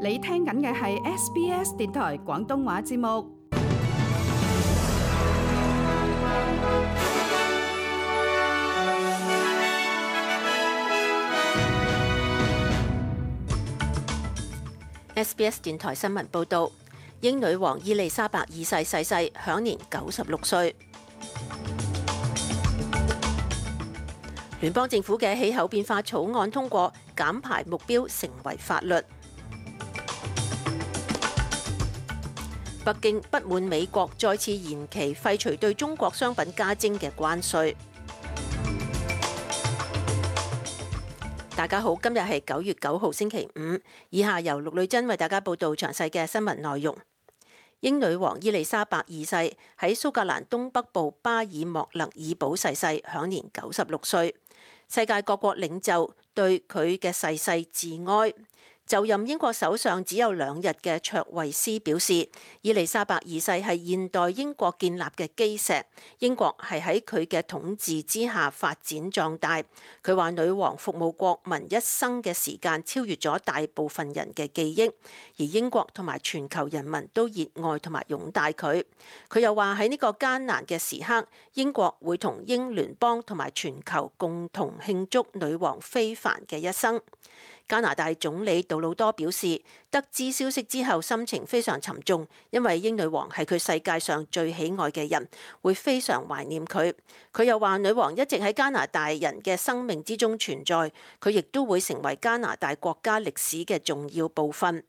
你聽緊嘅係 SBS 電台廣東話節目。SBS 電台新聞報導，英女王伊麗莎白二世逝世，享年96歲。聯邦政府嘅氣候變化草案通過，減排目標成為法律。北京不滿美國再次延期廢除對中國商品加徵嘅關稅。大家好，今日係9月9號星期五，以下由陸女珍為大家報道詳細嘅新聞內容。英女王伊麗莎白二世喺蘇格蘭東北部巴爾莫勒爾堡逝世，享年96歲。世界各國領袖對佢嘅逝世致哀。就任英國首相只有2日嘅卓慧思表示，伊麗莎白二世係現代英國建立嘅基石，英國係喺佢嘅統治之下發展壯大。佢話女王服務國民一生嘅時間超越咗大部分人嘅記憶，而英國同埋全球人民都熱愛同埋擁戴佢。佢又話喺呢個艱難嘅時刻，英國會同英聯邦同埋全球共同慶祝女王非凡嘅一生。加拿大總理杜魯多表示，得知消息之後心情非常沉重，因為英女王係佢世界上最喜愛嘅人，會非常懷念佢。佢又話女王一直喺加拿大人嘅生命之中存在，佢亦都會成為加拿大國家歷史嘅重要部分。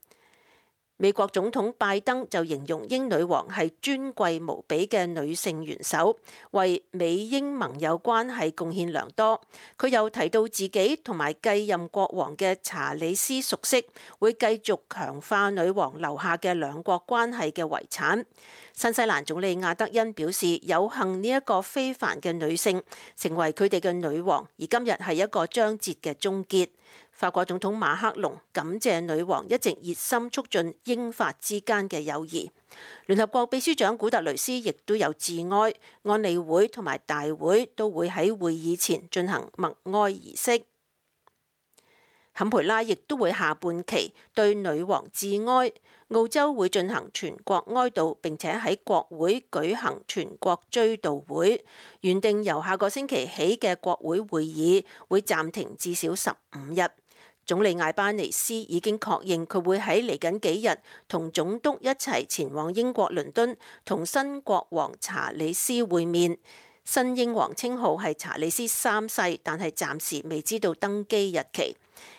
美國總統拜登就形容英女王係尊貴無比嘅女性元首，為美英盟友關係貢獻良多。佢又提到自己同埋繼任國王嘅查理斯熟悉，會繼續強化女王留下嘅兩國關係嘅遺產。新西蘭總理亞德恩表示，有幸呢一個非凡嘅女性成為佢哋嘅女王，而今日係一個章節嘅終結。法國總統馬克龍感謝女王一直熱心促進英法之間嘅友誼。聯合國秘書長古特雷斯亦都有致哀，安理會同埋大會都會喺會議前進行默哀儀式。坎培拉亦都會下半旗對女王致哀。澳洲會進行全國哀悼，並且喺國會舉行全國追悼會。原定由下個星期起嘅國會會議會暫停至少15日。總理艾班尼斯已經確認佢會喺嚟緊幾日同總督一齊前往英國倫敦，同新國王查理斯會面。新英皇稱號係查理斯3世，但係暫時未知道登基日期。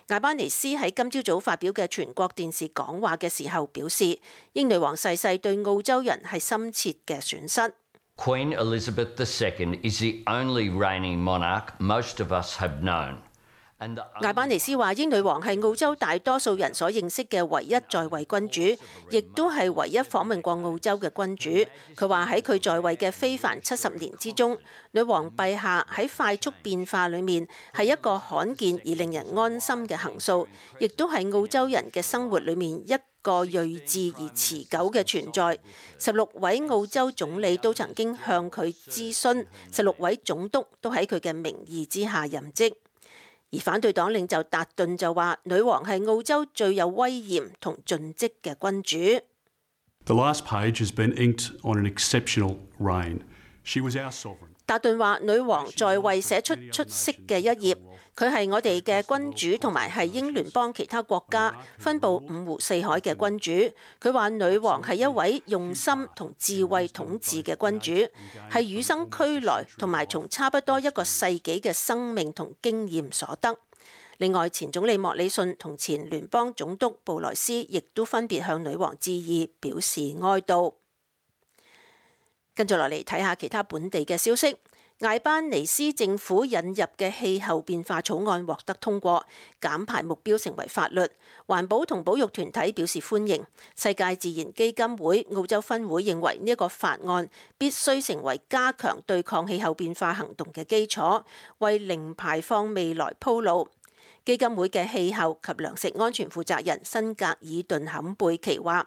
艾班尼斯喺今朝早發表嘅全國電視講話嘅時候表示，英女王逝世對澳洲人係深切嘅損失。Queen Elizabeth II is the only reigning monarch most of us have known. 艾班尼斯話：英女王係澳洲大多數人所認識嘅唯一在位君主，亦都係唯一訪問過澳洲嘅君主。佢話喺佢在位嘅非凡70年之中，女王陛下喺快速變化裏面係一個罕見而令人安心嘅行數，亦都係澳洲人嘅生活裏面一個睿智而持久嘅存在。16位澳洲總理都曾經向佢諮詢，16位總督都喺佢嘅名義之下任職。而反對黨領袖達頓就話，女王係澳洲最有威嚴同盡職嘅君主。The last page has been inked on an exceptional reign. She was our sovereign. 達頓話，女王在位寫出出色嘅一頁，佢係我哋嘅君主，同埋係英聯邦其他國家分佈5湖4海嘅君主。佢話女王係一位用心同智慧統治嘅君主，係與生俱來同埋從差不多1個世紀嘅生命同經驗所得。另外，前總理莫里遜同前聯邦總督布萊斯亦都分別向女王致意，表示哀悼。跟住落嚟睇下其他本地嘅消息。艾班尼斯政府引入嘅氣候變化草案獲得通過，減排目標成為法律。環保同保育團體表示歡迎。世界自然基金會澳洲分會認為呢一個法案必須成為加強對抗氣候變化行動嘅基礎，為零排放未來鋪路。基金會嘅氣候及糧食安全負責人辛格爾頓坎貝奇話：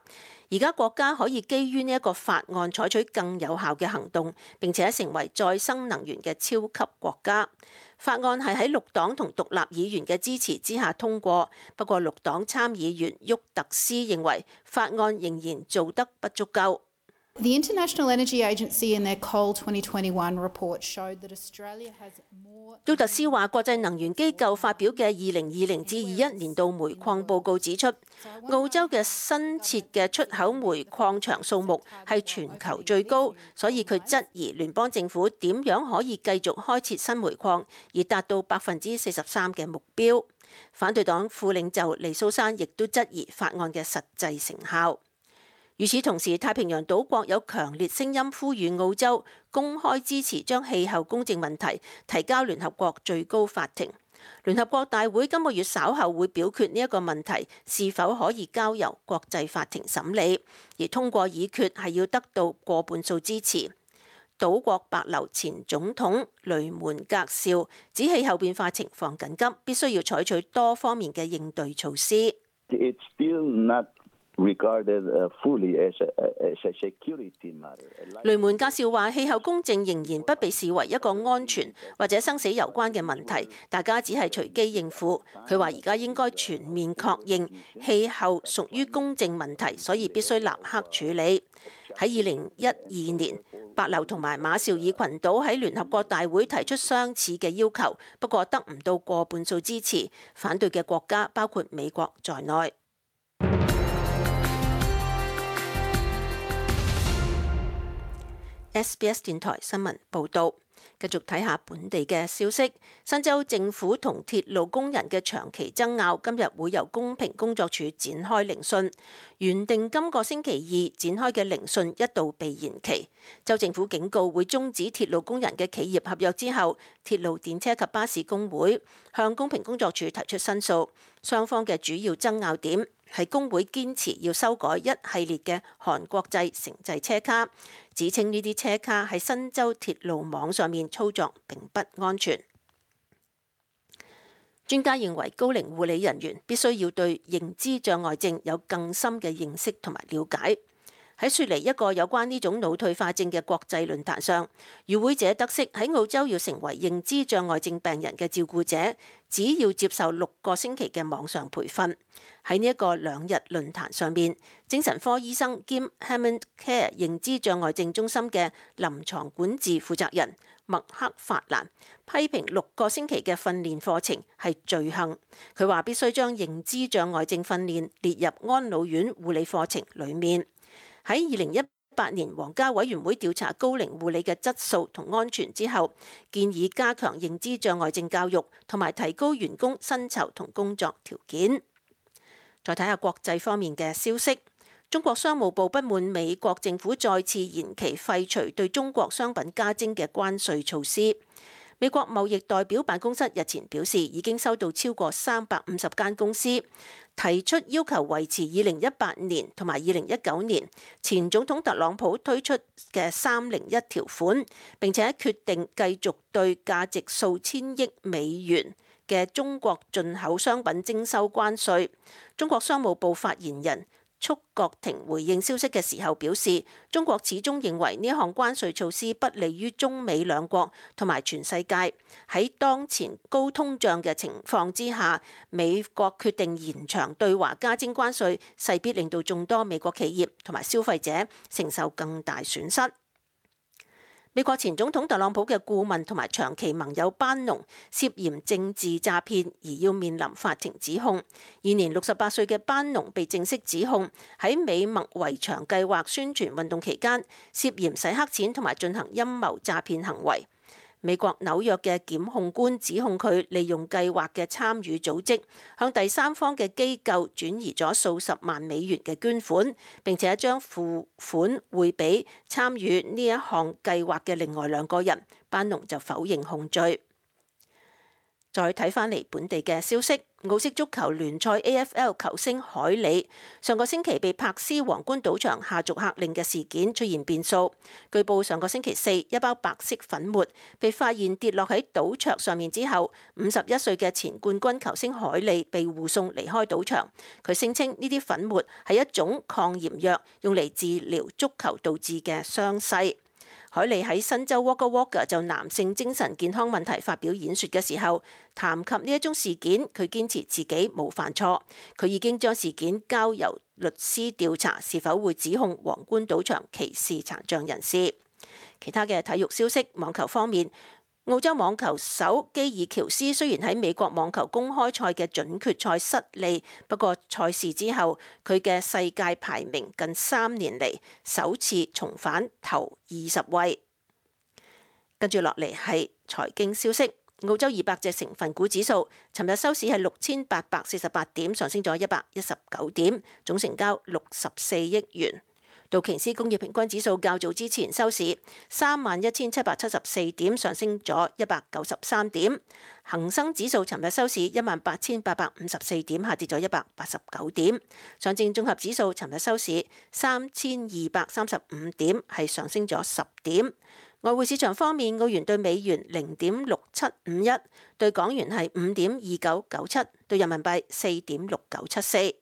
而家國家可以基於呢一個法案採取更有效嘅行動，並且成為再生能源嘅超級國家。法案係喺綠黨同獨立議員嘅支持之下通過，不過綠黨參議員沃特斯認為法案仍然做得不足夠。The International Energy Agency in their Coal 2021 report showed that Australia has more。沃特斯話，國際能源機構發表嘅2020至21年度煤礦報告指出，澳洲嘅新設嘅出口煤礦場數目係全球最高，所以佢質疑聯邦政府點樣可以繼續開設新煤礦，而達到43%嘅目標。反對黨副領袖尼蘇珊亦都質疑法案嘅實際成效。與此同時，太平洋島國有強烈聲音呼籲澳洲公開支持將氣候公正問題提交聯合國最高法庭。聯合國大會今個月稍後會表決呢一個問題是否可以交由國際法庭審理，而通過議決係要得到過半數支持。島國帛琉前總統雷門格紹指氣候變化情況緊急，必須要採取多方面嘅應對措施。雷門格紹話：氣候公正仍然不被視為一個安全或者生死攸關嘅問題，大家只係隨機應付。佢話：而家應該全面確認氣候屬於公正問題，所以必須立刻處理。喺2012年，帛琉同埋馬紹爾群島喺聯合國大會提出相似嘅要求，不過得唔到過半數支持，反對嘅國家包括美國在內。SBS 電台新聞報導，繼續睇下本地嘅消息。新州政府同鐵路工人嘅長期爭拗，今日會由公平工作處展開聆訊。原定今個星期二展開嘅聆訊一度被延期。州政府警告會終止鐵路工人嘅企業合約之後，鐵路電車及巴士工會向公平工作處提出申訴。雙方嘅主要爭拗點係工會堅持要修改一系列嘅韓國製城際車卡，指稱呢啲車卡喺新州鐵路網上面操作並不安全。專家認為高齡護理人員必須要對認知障礙症有更深嘅認識同埋了解。喺雪梨一個有關呢種腦退化症嘅國際論壇上，與會者得悉喺澳洲要成為認知障礙症病人嘅照顧者，只要接受6個星期嘅網上培訓。喺呢一個2日論壇上面，精神科醫生兼 Hammond Care 認知障礙症中心嘅臨床管治負責人麥克法蘭批評6個星期嘅訓練課程係罪行。佢話必須將認知障礙症訓練列入安老院護理課程裡面。喺2018年皇家委員會調查高齡護理嘅質素同安全之後，建議加強認知障礙症教育同埋提高員工薪酬同工作條件。再睇下國際方面嘅消息，中國商務部不滿美國政府再次延期廢除對中國商品加徵嘅關稅措施。美國貿易代表辦公室日前表示，已經收到超過350間公司提出要求維持2018年同埋2019年前總統特朗普推出嘅301條款，並且決定繼續對價值數千億美元嘅中國進口商品徵收關稅。中國商務部發言人束國庭回應消息嘅時候表示，中國始終認為呢項關稅措施不利於中美兩國同埋全世界。喺當前高通脹嘅情況之下，美國決定延長對華加徵關稅，勢必令到眾多美國企業同埋消費者承受更大損失。美國前總統特朗普嘅顧問同埋長期盟友班農涉嫌政治詐騙而要面臨法庭指控。現年68歲嘅班農被正式指控喺美墨圍牆計劃宣傳運動期間涉嫌洗黑錢同埋進行陰謀詐騙行為。美國紐約嘅檢控官指控佢利用計劃嘅參與組織，向第三方嘅機構轉移咗數十萬美元嘅捐款，並且將付款匯俾參與呢一項計劃嘅另外2個人。班農就否認控罪。再睇返嚟本地嘅消息，澳式足球聯賽 AFL 球星海里上個星期被柏斯皇冠賭場下逐客令嘅事件出現變數。據報上個星期四，一包白色粉末被發現跌落喺賭桌上面之後，51歲嘅前冠軍球星海里被護送離開賭場。佢聲稱呢啲粉末係一種抗炎藥，用嚟治療足球導致嘅傷勢。海利喺新州 Wagga Wagga 就男性精神健康問題發表演說嘅時候，談及呢一宗事件，佢堅持自己冇犯錯，佢已經將事件交由律師調查，是否會指控皇冠賭場歧視殘障人士。其他嘅體育消息，網球方面，澳洲網球手基爾喬斯雖然喺美國網球公開賽嘅準決賽失利，不過賽事之後佢嘅世界排名近3年嚟首次重返頭20位。跟住落嚟係財經消息，澳洲200隻成分股指數尋日收市係6848點，上升咗119點，總成交64億元。道瓊斯工業平均指數較早之前收市31,774點，上升咗193點。恒生指數尋日收市18,854點，下跌咗189點。上證綜合指數尋日收市3,235點，係上升咗10點。外匯市場方面，澳元對美元0.6751，對港元係5.2997，對人民幣4.6974。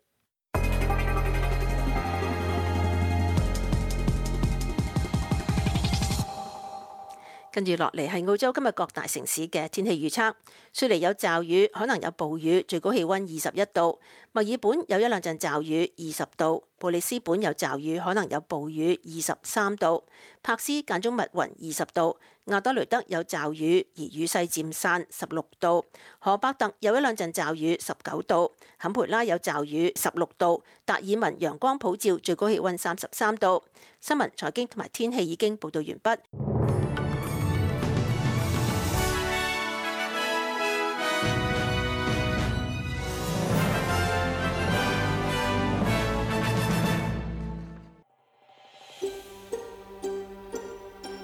跟住落嚟係澳洲今日各大城市嘅天氣預測。雪梨有驟雨，可能有暴雨，最高氣溫21度。墨爾本有一兩陣驟雨，20度。布里斯本有驟雨，可能有暴雨，23度。柏斯間中密雲，20度。亞德雷德有驟雨，而雨勢漸散，16度。荷伯特有一兩陣驟雨，19度。坎培拉有驟雨，16度。達爾文陽光普照，最高氣溫33度。新聞、財經同埋天氣已經報道完畢。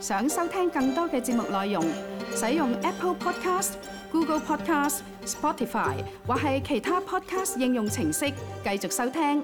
想收聽更多嘅節目內容，使用 Apple Podcast、Google Podcast、Spotify 或係其他 Podcast 應用程式繼續收聽。